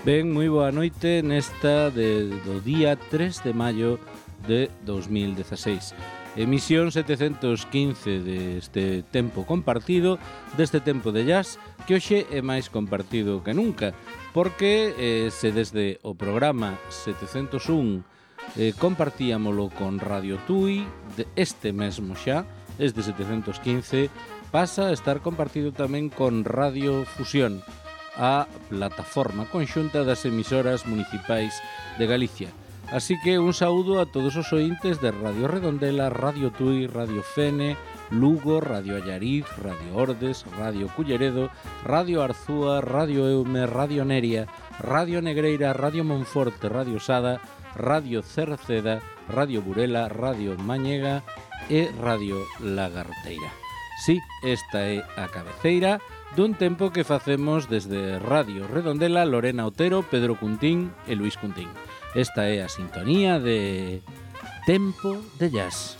Ben, moi boa noite nesta do día 3 de maio de 2016. Emisión 715 deste tempo compartido, deste tempo de jazz, que hoxe é máis compartido que nunca, porque se desde o programa 701 compartíamolo con Radio Tui, este mesmo xa, desde 715, pasa a estar compartido tamén con Radio Fusión, a plataforma conxunta das emisoras municipais de Galicia. Así que un saúdo a todos os ointes de Radio Redondela, Radio Tui, Radio Fene, Lugo, Radio Allariz, Radio Ordes, Radio Culleredo, Radio Arzúa, Radio Eume, Radio Neria, Radio Negreira, Radio Monforte, Radio Sada, Radio Cerceda, Radio Burela, Radio Mañega e Radio Lagarteira. Sí, esta é a cabeceira dun tempo que facemos desde Radio Redondela, Lorena Otero, Pedro Cuntín e Luis Cuntín. Esta é a sintonía de Tempo de Jazz.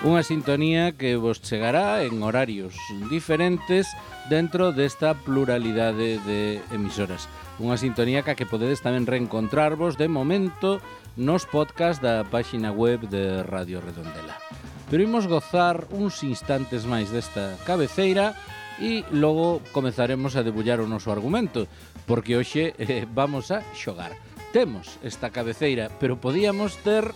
Unha sintonía que vos chegará en horarios diferentes dentro desta pluralidade de emisoras. Unha sintonía que podedes tamén reencontrarvos de momento nos podcast da páxina web de Radio Redondela. Pero imos gozar uns instantes máis desta cabeceira e logo comezaremos a debullar o noso argumento, porque hoxe vamos a xogar. Temos esta cabeceira, pero podíamos ter...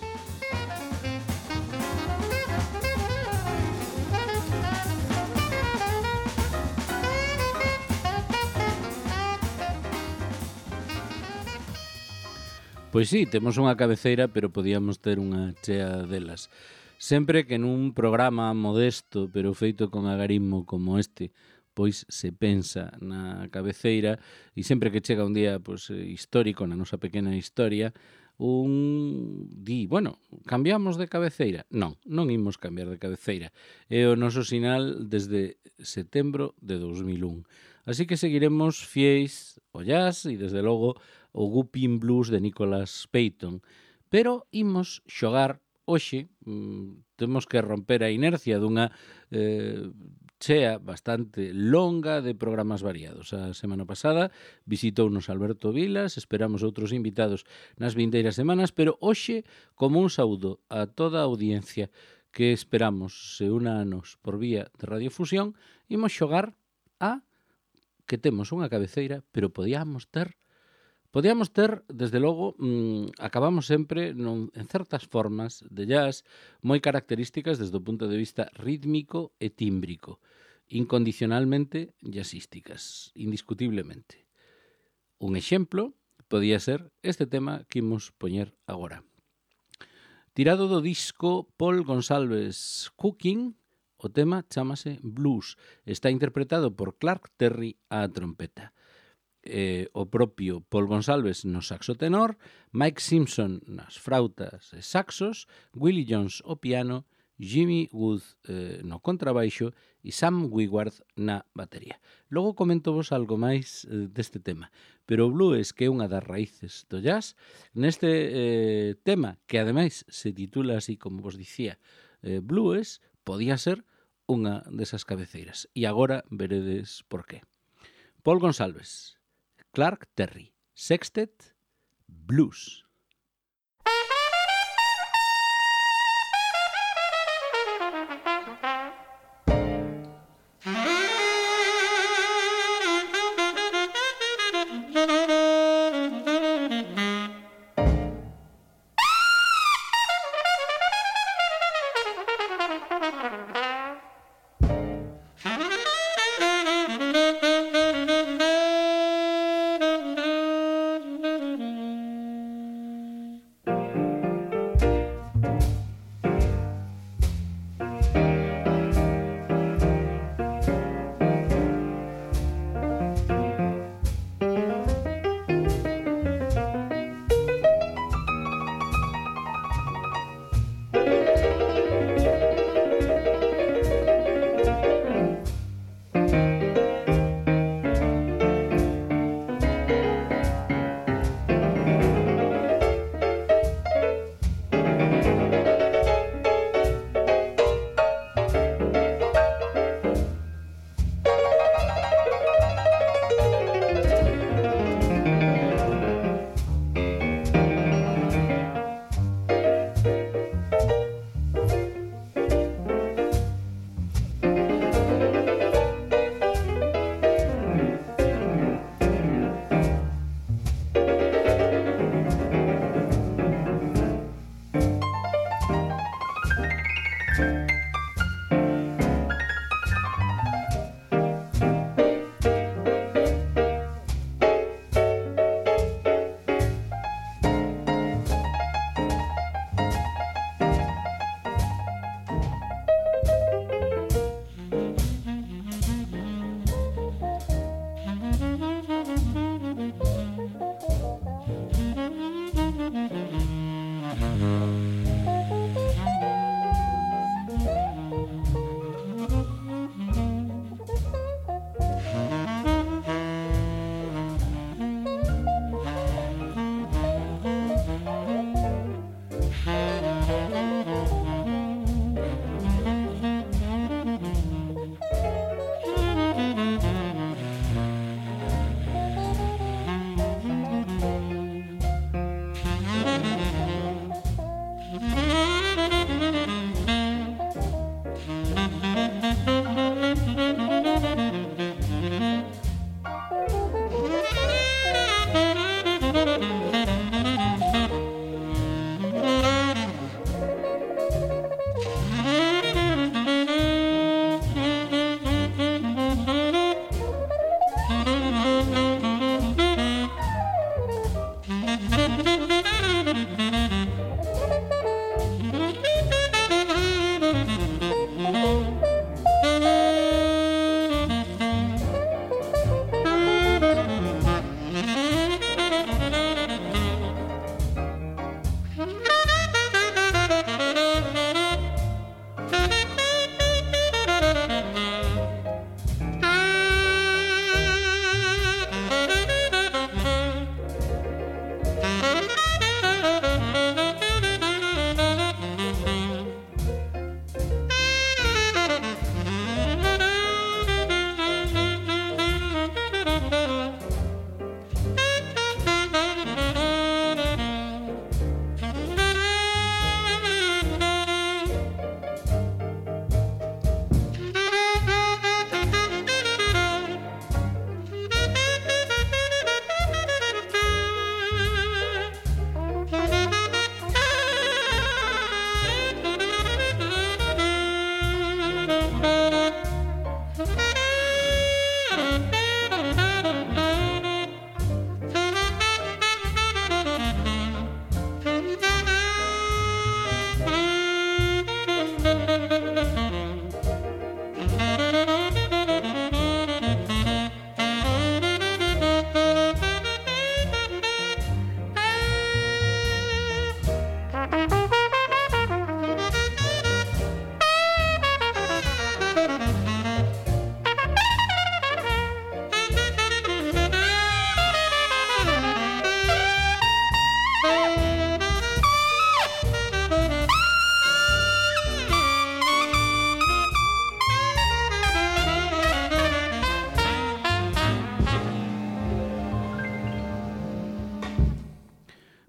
Pois sí, temos unha cabeceira, pero podíamos ter unha chea delas. Sempre que nun programa modesto, pero feito con agarismo como este, pois se pensa na cabeceira, e sempre que chega un día histórico na nosa pequena historia, bueno, cambiamos de cabeceira? Non imos cambiar de cabeceira. É o noso sinal desde setembro de 2001. Así que seguiremos fiéis ao jazz e, desde logo, o Whooping Blues de Nicholas Payton. Pero imos xogar hoxe, temos que romper a inercia dunha chea bastante longa de programas variados. A semana pasada visitounos Alberto Vilas, esperamos outros invitados nas vindeiras semanas, pero hoxe, como un saúdo a toda a audiencia que esperamos se una a nos por vía de radiofusión, imos xogar a que temos unha cabeceira, pero podíamos ter, desde logo, acabamos sempre en certas formas de jazz moi características desde o punto de vista rítmico e tímbrico, incondicionalmente jazzísticas, indiscutiblemente. Un exemplo podía ser este tema que imos poñer agora. Tirado do disco Paul Gonsalves Cooking, o tema chámase Blues. Está interpretado por Clark Terry á trompeta. O propio Paul Gonsalves no saxo tenor, Mike Simpson nas frautas e saxos, Willie Jones ao piano, Jimmy Wood no contrabaixo e Sam Wigward na batería. Logo comento vos algo máis deste tema. Pero o blues, que é unha das raíces do jazz, neste tema, que ademais se titula así como vos dicía, blues, podía ser unha desas cabeceiras. E agora veredes por qué. Paul Gonsalves, Clark Terry, Sextet, Blues.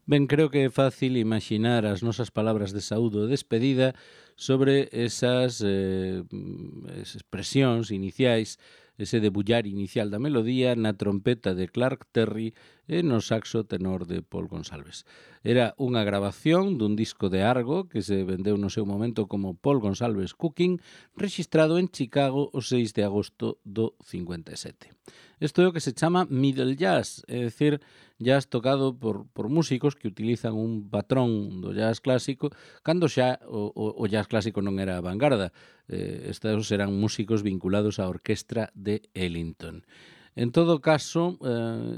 Ben, creo que é fácil imaginar as nosas palabras de saúdo e despedida sobre esas expresións iniciais, ese debullar inicial da melodía na trompeta de Clark Terry e no saxo tenor de Paul Gonsalves. Era unha grabación dun disco de Argo que se vendeu no seu momento como Paul Gonsalves Cooking, rexistrado en Chicago o 6 de agosto do 57. Isto é o que se chama middle jazz, é dicir, jazz tocado por músicos que utilizan un patrón do jazz clásico cando xa o jazz clásico non era a vanguarda. Estes eran músicos vinculados á orquestra de Ellington. En todo caso,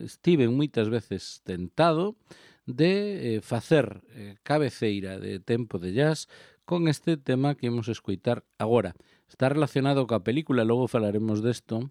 estiven moitas veces tentado de facer cabeceira de tempo de jazz con este tema que imos escoitar agora. Está relacionado coa película, logo falaremos desto,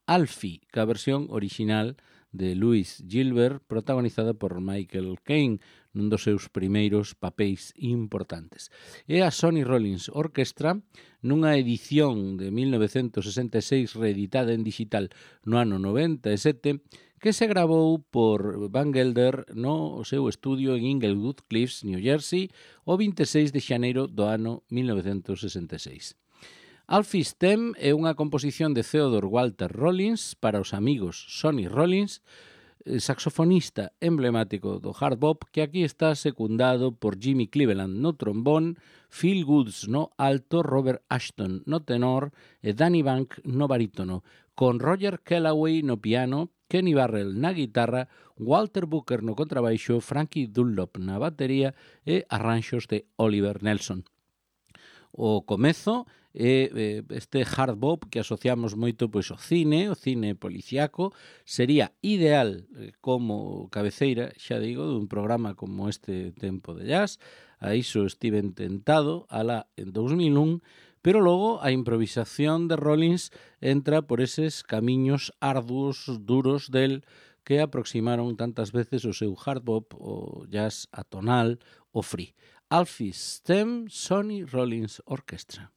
Alfie, que a versión original de Louis Gilbert, protagonizada por Michael Caine, nun dos seus primeiros papéis importantes. E a Sonny Rollins Orchestra, nunha edición de 1966 reeditada en digital no ano 97, que se gravou por Van Gelder no seu estudio en Inglewood Cliffs, New Jersey, o 26 de xaneiro do ano 1966. Alfie's Theme é unha composición de Theodore Walter Rollins para os amigos Sonny Rollins, saxofonista emblemático do hard bop, que aquí está secundado por Jimmy Cleveland no trombón, Phil Woods no alto, Robert Ashton no tenor e Danny Bank no barítono, con Roger Kellaway no piano, Kenny Barrell na guitarra, Walter Booker no contrabaixo, Frankie Dunlop na batería e arranxos de Oliver Nelson. O comezo é este hard bop que asociamos moito pois ao cine, o cine policiaco, sería ideal como cabeceira, xa digo, dun programa como este Tempo de Jazz. A iso estiven tentado alá en 2001, pero logo a improvisación de Rollins entra por eses camiños arduos, duros del que aproximaron tantas veces o seu hard bop, o jazz atonal, o free. Alfie's Theme, Sonny Rollins Orchestra.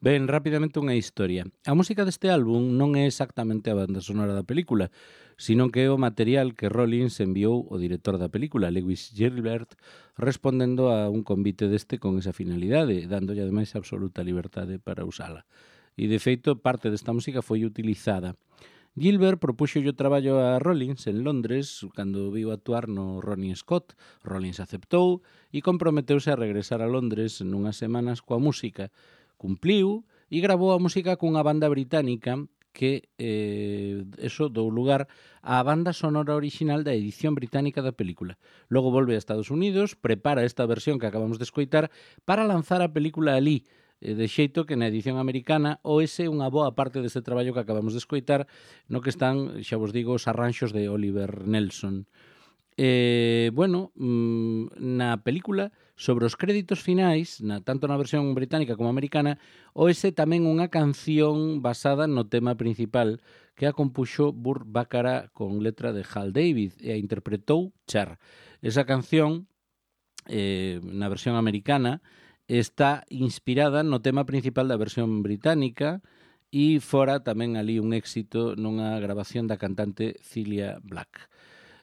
Ben, rapidamente unha historia. A música deste álbum non é exactamente a banda sonora da película, sino que é o material que Rollins enviou ao director da película, Lewis Gilbert, respondendo a un convite deste con esa finalidade, dándolle ademais absoluta liberdade para usala. E, de feito, parte desta música foi utilizada. Gilbert propuxo o traballo a Rollins en Londres cando viu actuar no Ronnie Scott. Rollins aceptou e comprometeuse a regresar a Londres nunhas semanas coa música. Cumpliu e gravou a música cunha banda británica que eso dou lugar á banda sonora orixinal da edición británica da película. Logo volve a Estados Unidos, prepara esta versión que acabamos de escoitar para lanzar a película alí, de xeito que na edición americana oese unha boa parte deste traballo que acabamos de escoitar, no que están, xa vos digo, os arranxos de Oliver Nelson. Na película, sobre os créditos finais, tanto na versión británica como americana, oese tamén unha canción basada no tema principal que a compuxo Burt Bacharach con letra de Hal David e a interpretou Cher. Esa canción, na versión americana, está inspirada no tema principal da versión británica e fora tamén ali un éxito nunha grabación da cantante Cilla Black.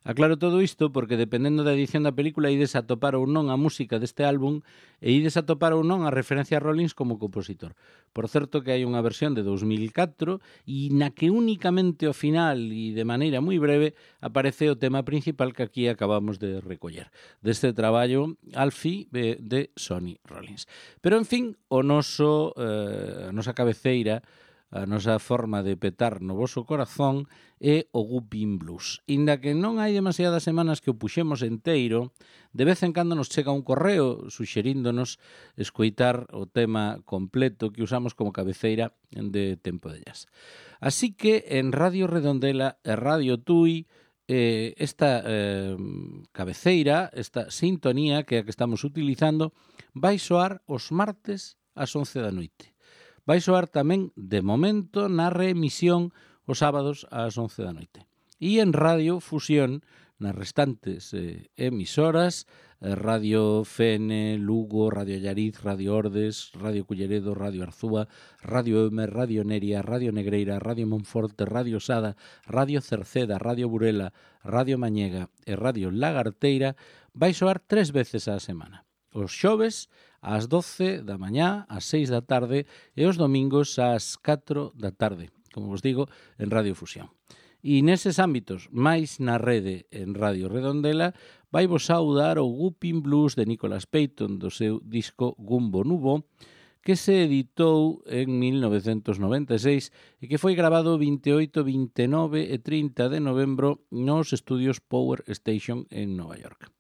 Aclaro todo isto porque dependendo da edición da película ides a topar ou non a música deste álbum e ides a topar ou non a referencia a Rollins como compositor. Por certo que hai unha versión de 2004 e na que únicamente ao final e de maneira moi breve aparece o tema principal que aquí acabamos de recoller deste traballo Alfie de Sonny Rollins. Pero en fin, a nosa cabeceira, a nosa forma de petar no voso corazón é o Whoopin' Blues. Inda que non hai demasiadas semanas que o puxemos enteiro, de vez en cando nos chega un correo suxeríndonos escoitar o tema completo que usamos como cabeceira de Tempo de Jazz. Así que en Radio Redondela e Radio Tui esta cabeceira, esta sintonía que é a que estamos utilizando, vai soar os martes ás 11 da noite. Vai soar tamén, de momento, na reemisión os sábados ás 11 da noite. E en Radio Fusión, nas restantes emisoras, Radio Fene, Lugo, Radio Allariz, Radio Ordes, Radio Culleredo, Radio Arzúa, Radio Emer, Radio Neria, Radio Negreira, Radio Monforte, Radio Sada, Radio Cerceda, Radio Burela, Radio Mañega e Radio Lagarteira, vai soar 3 veces á semana. Os xoves ás 12 da mañá, ás 6 da tarde e os domingos ás 4 da tarde, como vos digo, en Radio Fusión. E neses ámbitos, máis na rede en Radio Redondela, vai vos saudar o Whooping Blues de Nicholas Payton do seu disco Gumbo Nubo, que se editou en 1996 e que foi grabado 28, 29 e 30 de novembro nos estudios Power Station en Nova York.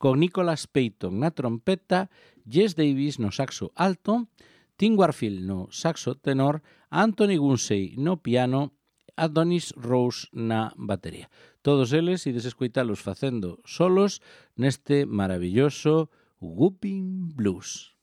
Con Nicholas Payton na trompeta, Jess Davis no saxo alto, Tim Warfield no saxo tenor, Anthony Gunsey no piano, Adonis Rose na batería. Todos eles ides escoitalos facendo solos neste maravilloso Whooping Blues.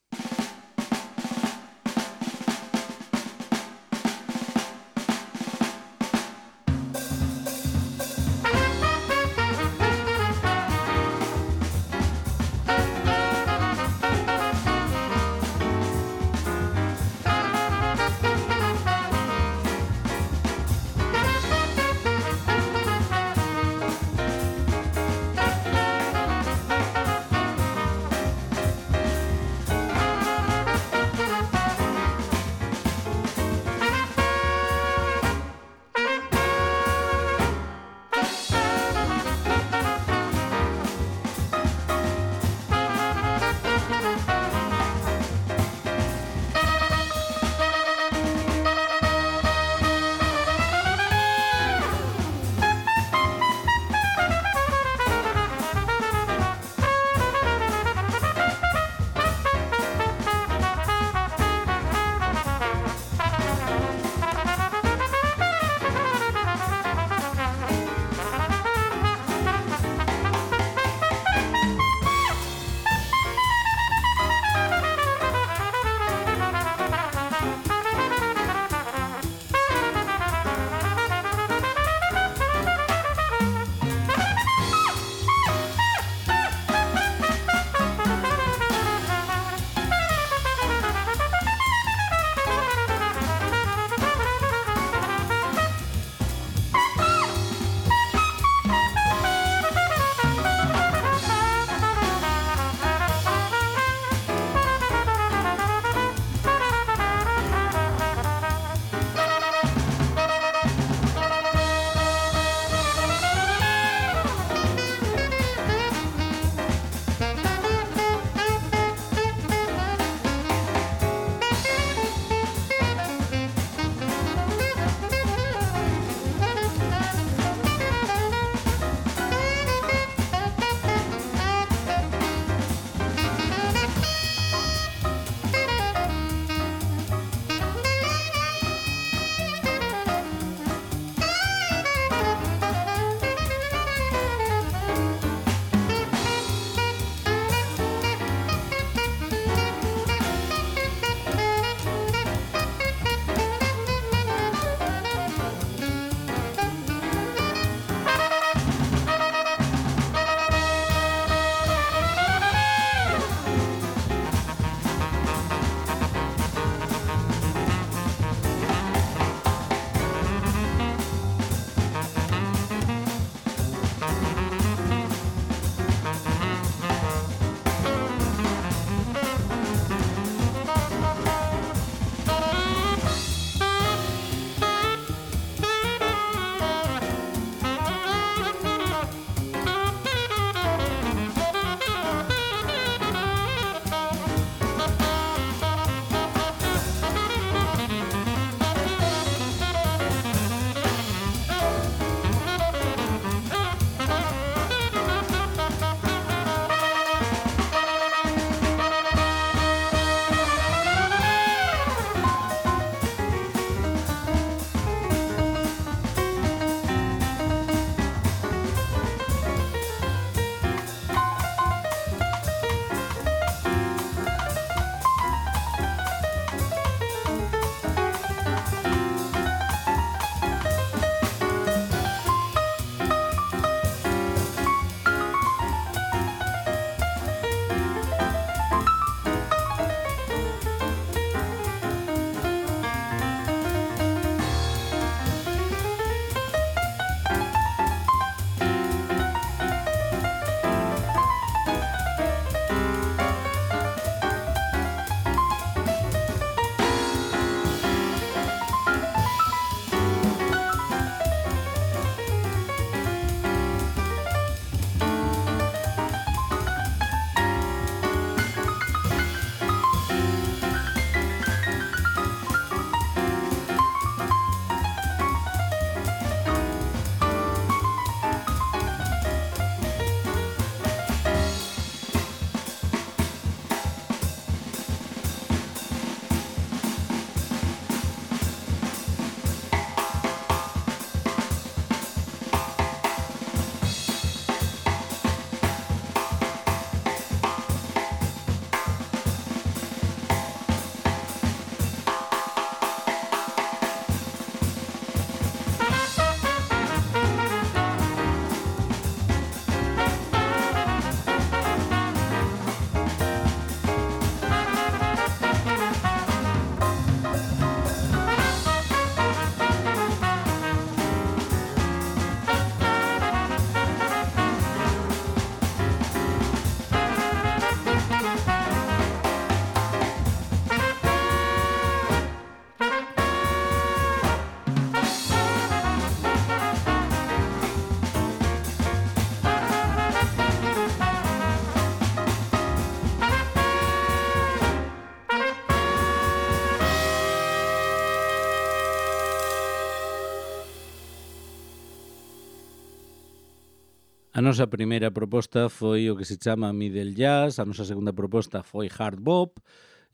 A nosa primeira proposta foi o que se chama middle jazz, a nosa segunda proposta foi hard bop,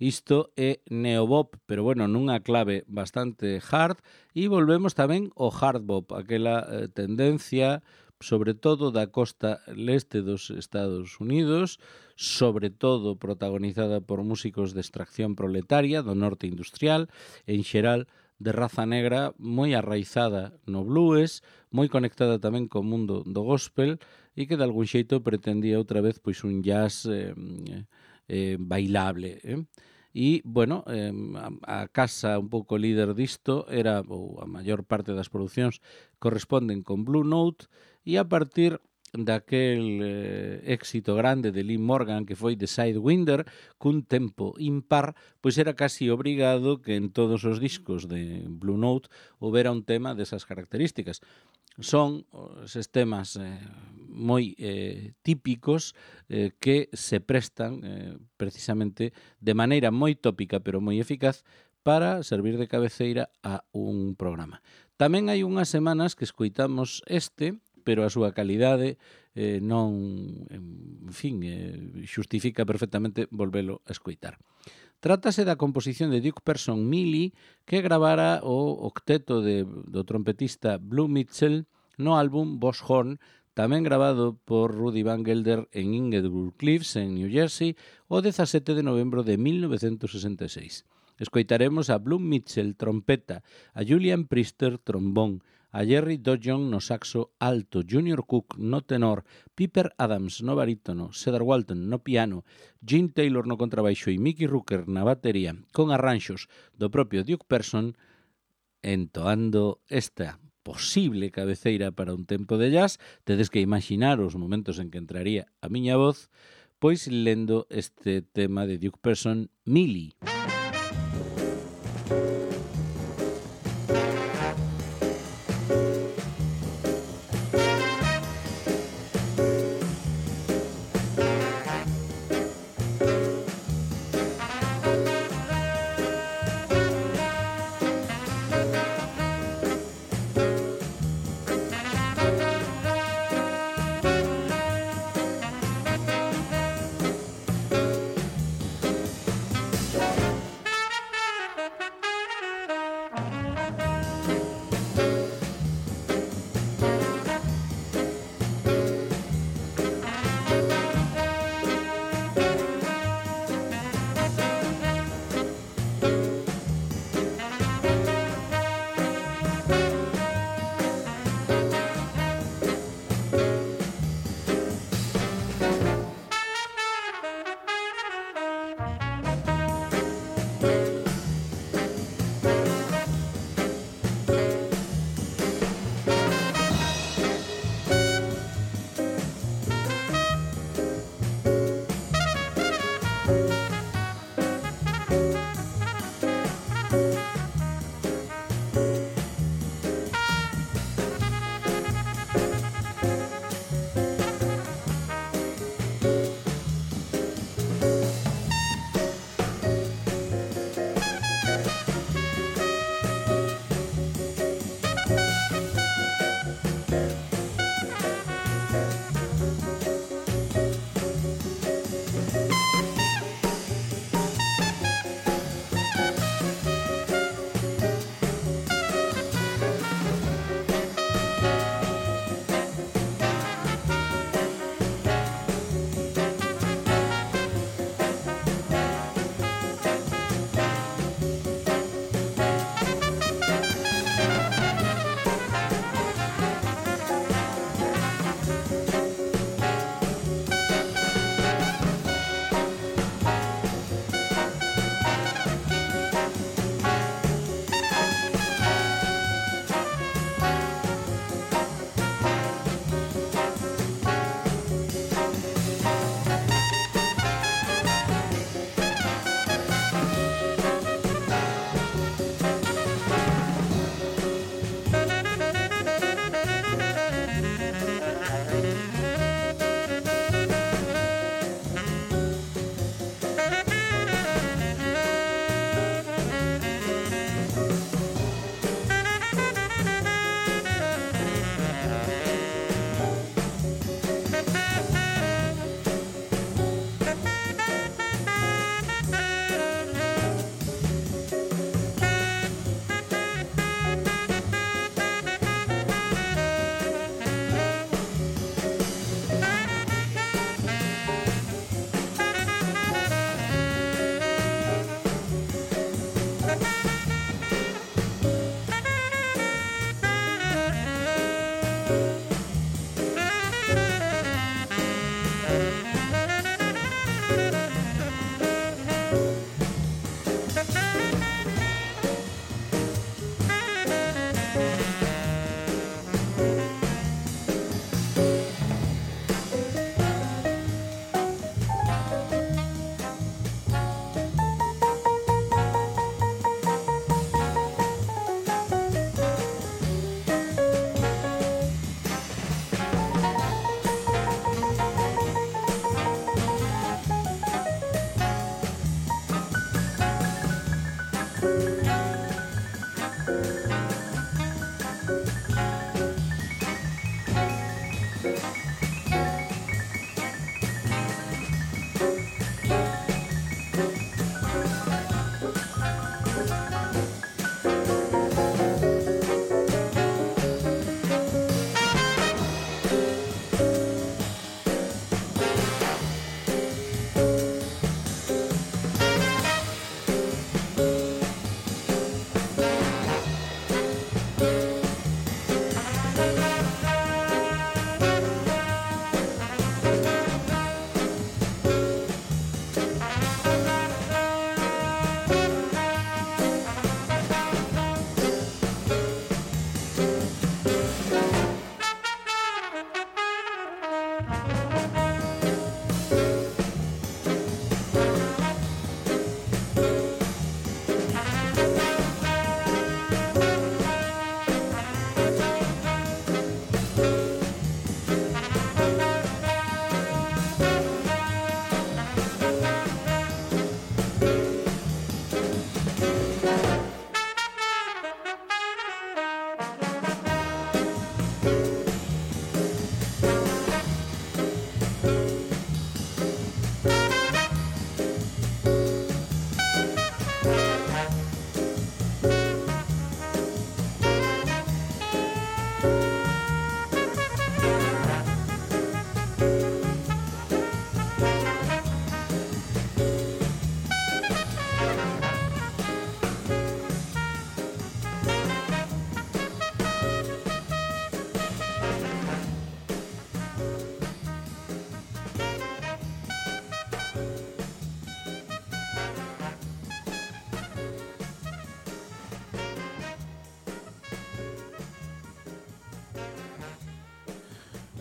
isto é neobop, pero bueno, nunha clave bastante hard, e volvemos tamén ao hard bop, aquela tendencia sobre todo da costa leste dos Estados Unidos, sobre todo protagonizada por músicos de extracción proletaria do norte industrial, en xeral de raza negra, moi arraizada no blues, moi conectada tamén co mundo do gospel e que de algún xeito pretendía outra vez pois un jazz bailable. E, bueno, a casa un pouco líder disto era, ou a maior parte das producións corresponden con Blue Note, e a partir daquel éxito grande de Lee Morgan que foi The Sidewinder, cun tempo impar, pois era casi obrigado que en todos os discos de Blue Note houbera un tema desas características. Son eses temas moi típicos que se prestan precisamente de maneira moi tópica pero moi eficaz para servir de cabeceira a un programa. Tamén hai unhas semanas que escoitamos pero a súa calidade non, en fin, xustifica perfectamente volvelo a escoitar. Trátase da composición de Duke Person Mealy que gravara o octeto do trompetista Blue Mitchell no álbum Boss Horn, tamén gravado por Rudy Van Gelder en Inglewood Cliffs, en New Jersey, o 17 de novembro de 1966. Escoitaremos a Blue Mitchell trompeta, a Julian Priester trombón, a Jerry Dodjon no saxo alto, Junior Cook no tenor, Piper Adams no barítono, Cedar Walton no piano, Gene Taylor no contrabaixo e Mickey Rooker na batería, con arranxos do propio Duke Person, entoando esta posible cabeceira para un tempo de jazz. Tedes que imaginar os momentos en que entraría a miña voz, pois lendo este tema de Duke Person, Mealy.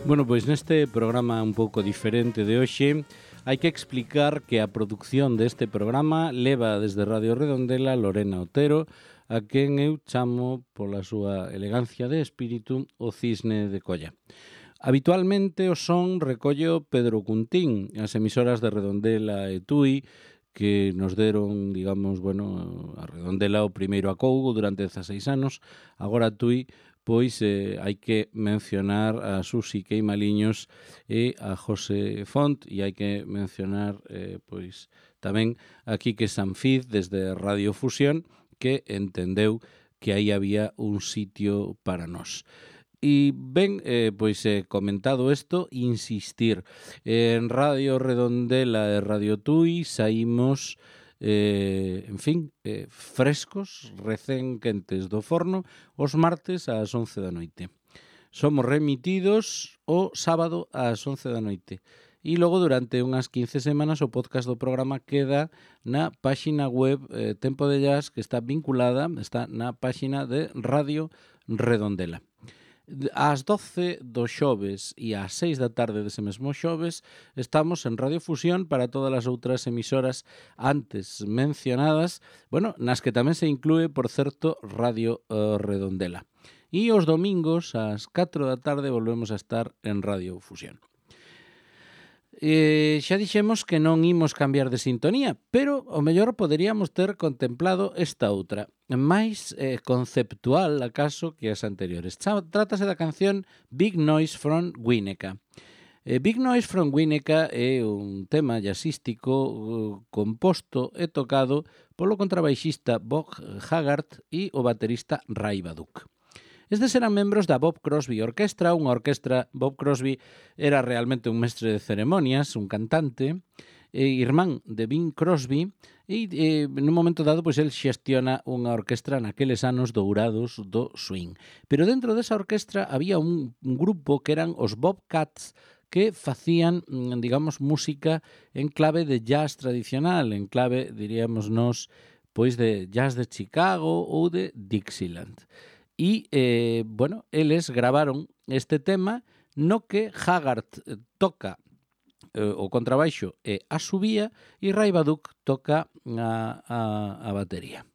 Bueno, pois neste programa un pouco diferente de hoxe hai que explicar que a produción deste programa leva desde Radio Redondela Lorena Otero, a quen eu chamo pola súa elegancia de espírito o Cisne de Colla. Habitualmente o son recollo Pedro Cuntín, as emisoras de Redondela e Tui, que nos deron, digamos, bueno, a Redondela o primeiro acougo durante 16 anos, agora Tui, pois hai que mencionar a Susi Queimaliños e a José Font, e hai que mencionar pois tamén a Quique Sanfiz desde Radio Fusión, que entendeu que aí había un sitio para nós. E ben, pois comentado isto, insistir, en Radio Redondela e Radio Tui saímos, en fin, frescos, recén quentes do forno, os martes ás 11 da noite. Somos remitidos o sábado ás 11 da noite. E logo, durante unhas 15 semanas, o podcast do programa queda na páxina web Tempo de Jazz, que está vinculada, está na páxina de Radio Redondela. Ás 12 do xoves e ás 6 da tarde dese mesmo xoves estamos en Radio Fusión para todas as outras emisoras antes mencionadas, bueno, nas que tamén se inclúe, por certo, Radio Redondela. E os domingos ás 4 da tarde volvemos a estar en Radio Fusión. Xa dixemos que non imos cambiar de sintonía, pero o mellor poderíamos ter contemplado esta outra, máis conceptual, acaso, que as anteriores. Trátase da canción Big Noise from Winnetka. Big Noise from Winnetka é un tema jazzístico composto e tocado polo contrabaixista Bob Haggart e o baterista Ray Baduk. Estes eran membros da Bob Crosby Orquestra, unha orquestra. Bob Crosby era realmente un mestre de ceremonias, un cantante, irmán de Bing Crosby, e nun momento dado pois el xestiona unha orquestra naqueles anos dourados do swing. Pero dentro desa orquestra había un grupo que eran os Bobcats, que facían, digamos, música en clave de jazz tradicional, en clave, diríamos nós, pois de jazz de Chicago ou de Dixieland. E, bueno, eles gravaron este tema no que Haggart toca o contrabaixo e a subía e Ray Baduk toca a batería.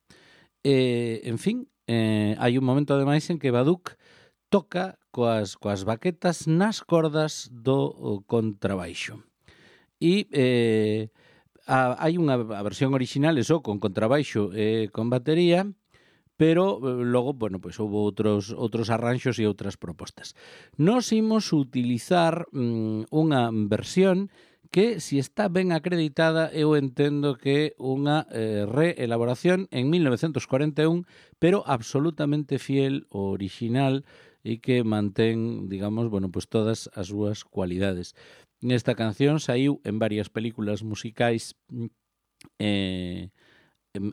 En fin, hai un momento ademais en que Baduk toca coas baquetas nas cordas do contrabaixo. E Hai unha versión original, eso, con contrabaixo e con batería, pero logo, bueno, pois houve outros arranxos e outras propostas. Nos imos utilizar unha versión que, si está ben acreditada, eu entendo que unha reelaboración en 1941, pero absolutamente fiel ao original e que mantén, digamos, bueno, pois todas as súas cualidades. Esta canción saiu en varias películas musicais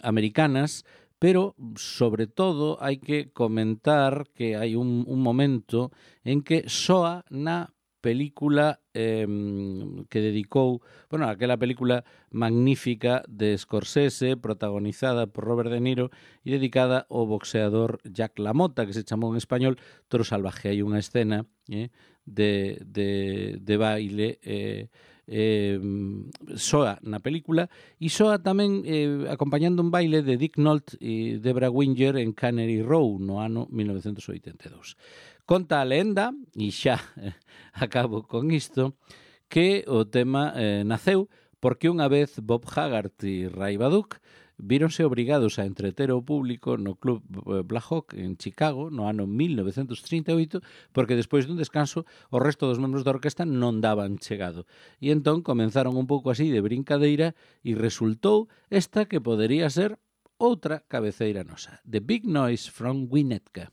americanas, pero sobre todo hai que comentar que hai un momento en que soa na película que dedicou, bueno, aquela película magnífica de Scorsese, protagonizada por Robert De Niro e dedicada ao boxeador Jack LaMotta, que se chamou en español Toro Salvaje. Hai unha escena de baile soa na película e soa tamén acompañando un baile de Dick Nolte e Debra Winger en Cannery Row no ano 1982. Conta a lenda, e xa acabo con isto, que o tema naceu porque unha vez Bob Haggart e Ray Bauduc víronse obrigados a entreter ao público no Club Black Hawk en Chicago no ano 1938 porque despois dun descanso o resto dos membros da orquesta non daban chegado. E entón comenzaron un pouco así de brincadeira e resultou esta que podería ser outra cabeceira nosa. The Big Noise from Winnetka.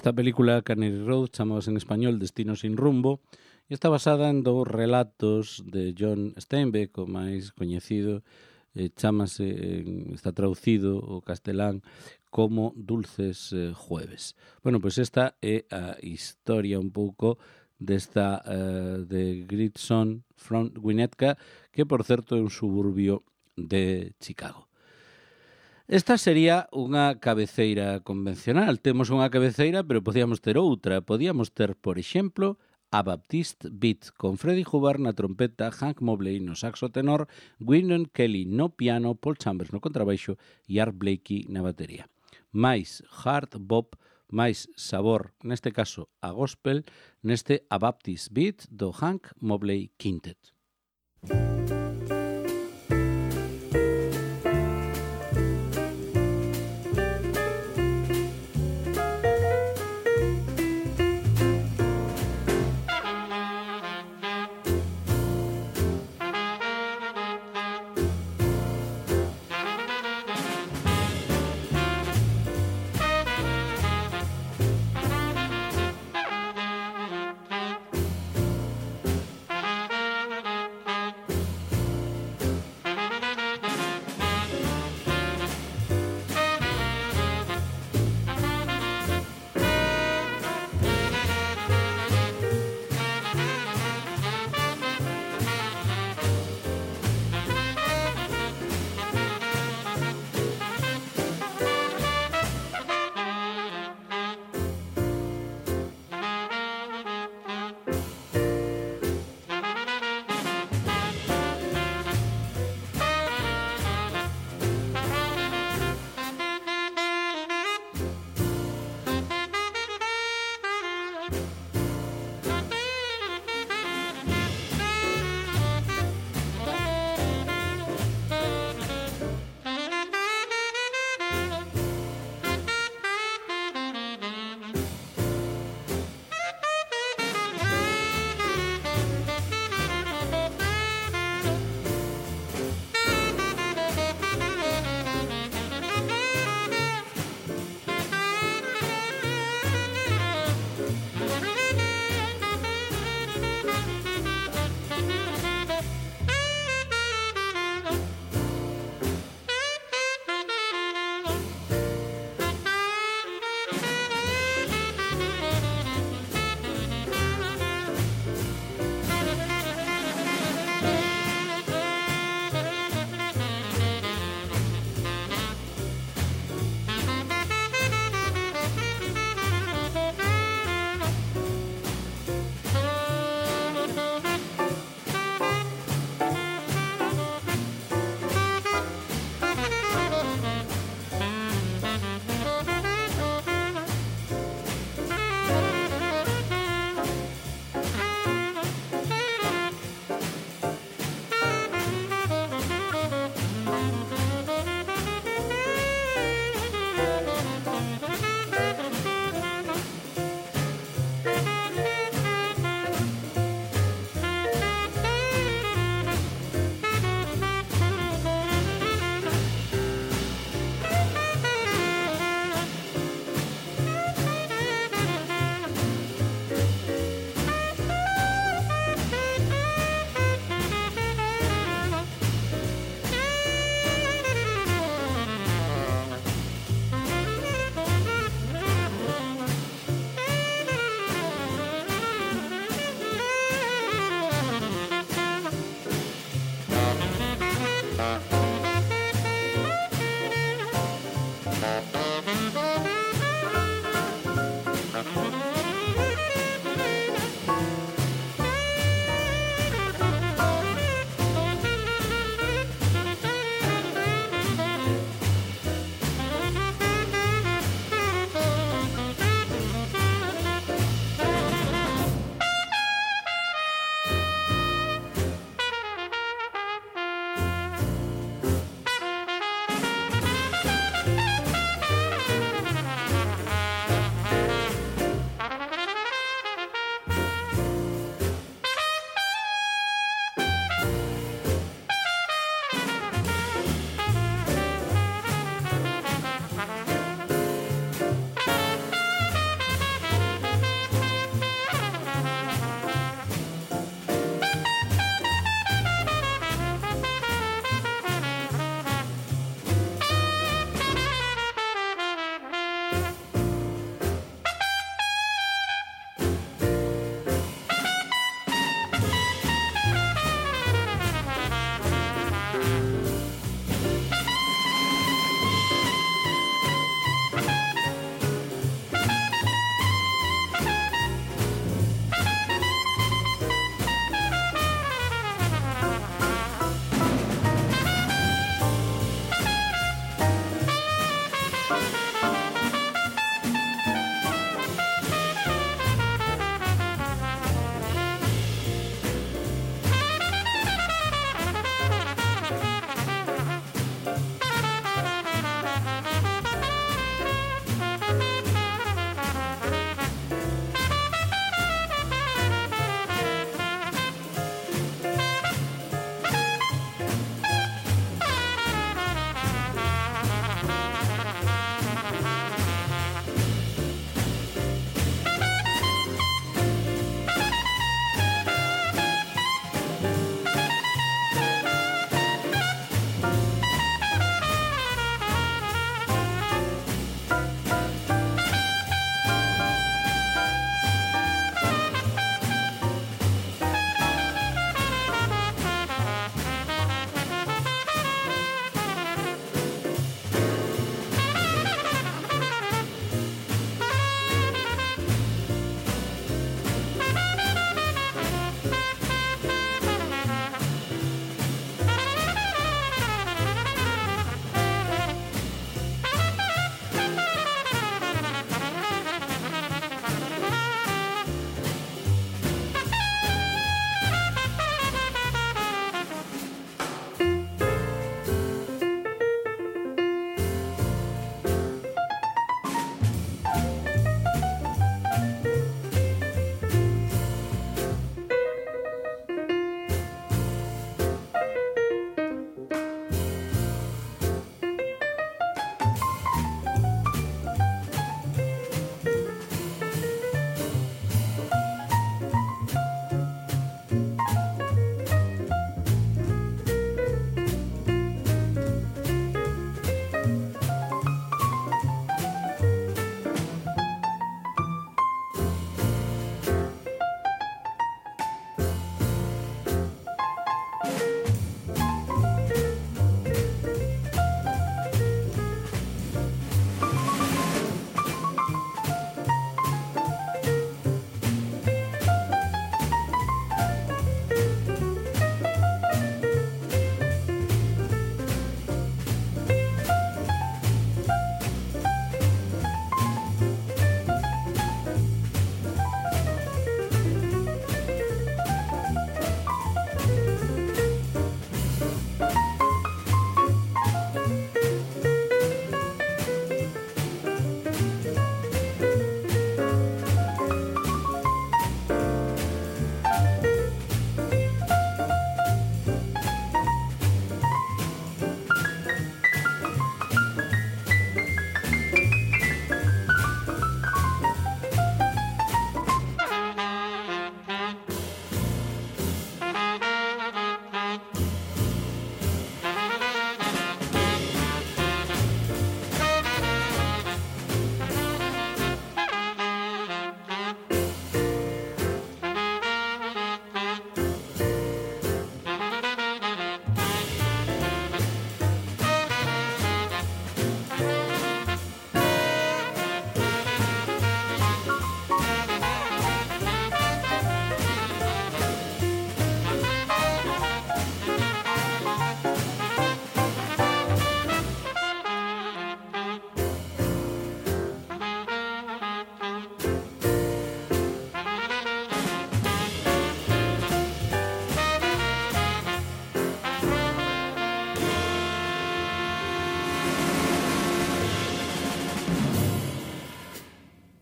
Esta película, Cannery Road, chamamos en español Destino sin rumbo, e está basada en dous relatos de John Steinbeck, o máis coñecido, está traducido ao castelán como Dulces Jueves. Bueno, pois esta é a historia un pouco desta de Gritson from Winnetka, que, por certo, é un suburbio de Chicago. Esta sería unha cabeceira convencional. Temos unha cabeceira, pero podíamos ter outra. Podíamos ter, por exemplo, A Baptiste Beat, con Freddie Hubbard na trompeta, Hank Mobley no saxo tenor, Wynton Kelly no piano, Paul Chambers no contrabaixo e Art Blakey na batería. Mais hard bop, máis sabor, neste caso a gospel, neste A Baptiste Beat do Hank Mobley Quintet.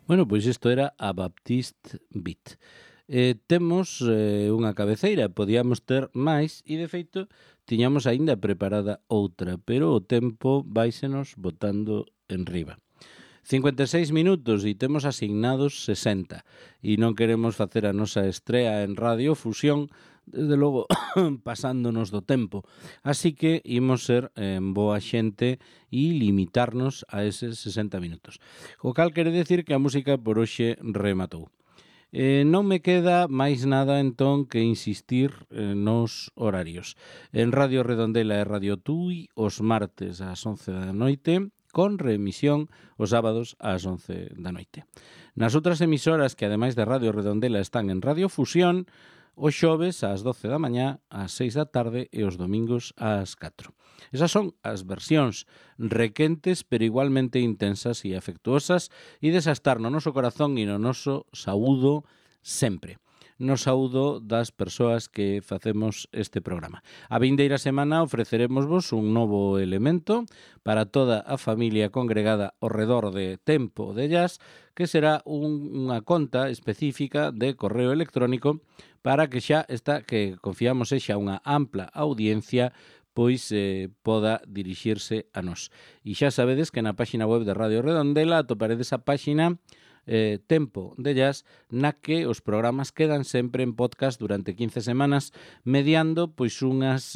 Bueno, pois isto era a Baptiste Beat. Temos unha cabeceira, podíamos ter máis e, de feito, tiñamos aínda preparada outra, pero o tempo váisenos botando en riba. 56 minutos e temos asignados 60 e non queremos facer a nosa estrea en Radio Fusión, desde logo pasándonos do tempo. Así que imos ser en boa xente e limitarnos a eses 60 minutos. O cal quere decir que a música por hoxe rematou. Non me queda máis nada entón que insistir nos horarios. En Radio Redondela e Radio Tui os martes ás 11 da noite, con reemisión os sábados ás 11 da noite. Nas outras emisoras que ademais de Radio Redondela están en Radio Fusión, os xoves ás 12 da mañá, ás 6 da tarde e os domingos ás 4. Esas son as versións requentes, pero igualmente intensas e afectuosas, e desastar no noso corazón e no noso saúdo sempre. No saúdo das persoas que facemos este programa. A vindeira semana ofreceremosvos un novo elemento para toda a familia congregada ao redor de Tempo de Jazz, que será unha conta específica de correo electrónico para que xa esta, que confiamos sexa unha ampla audiencia, pois poda dirixirse a nós. E xa sabedes que na páxina web de Radio Redondela atoparedes a páxina Tempo de Jazz, na que os programas quedan sempre en podcast durante 15 semanas, mediando pois unhas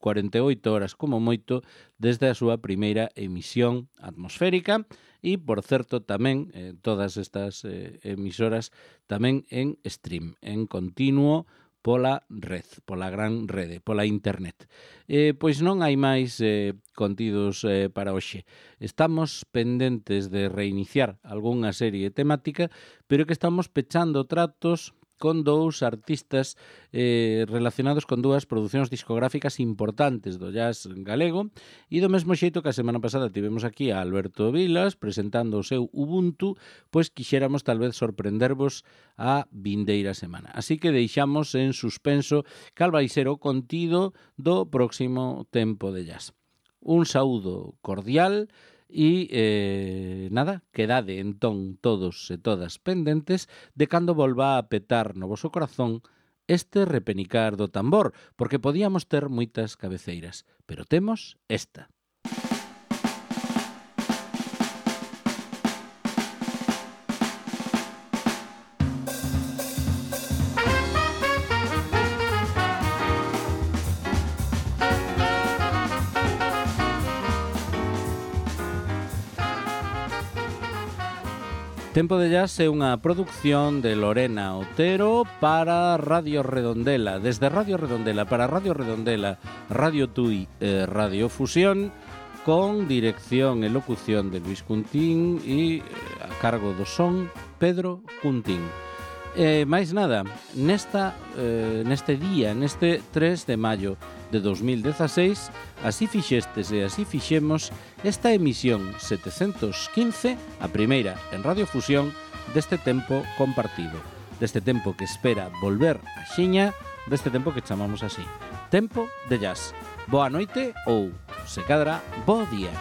48 horas como moito desde a súa primeira emisión atmosférica e, por certo, tamén todas estas emisoras tamén en stream, en continuo pola red, pola gran rede, pola internet. Pois non hai máis contidos para hoxe. Estamos pendentes de reiniciar algunha serie temática, pero que estamos pechando tratos con dous artistas relacionados con dúas producións discográficas importantes do jazz galego, e do mesmo xeito que a semana pasada tivemos aquí a Alberto Vilas presentando o seu Ubuntu, pois quixéramos tal vez sorprendervos a vindeira semana. Así que deixamos en suspenso cal vai ser o contido do próximo Tempo de Jazz. Un saúdo cordial e nada, quedade entón todos e todas pendentes de cando volva a petar no voso corazón este repenicar do tambor, porque podíamos ter moitas cabeceiras, pero temos esta. Tempo de Jazz é unha produción de Lorena Otero para Radio Redondela, desde Radio Redondela para Radio Redondela, Radio Tui e Radio Fusión, con dirección e locución de Luis Cuntín e a cargo do son Pedro Cuntín. máis nada, neste día, neste 3 de maio de 2016, así fixestes e así fixemos esta emisión 715, a primeira en Radio Fusión, deste tempo compartido, deste tempo que espera volver a xiña, deste tempo que chamamos así, Tempo de Jazz. Boa noite ou, se cadra, bo día.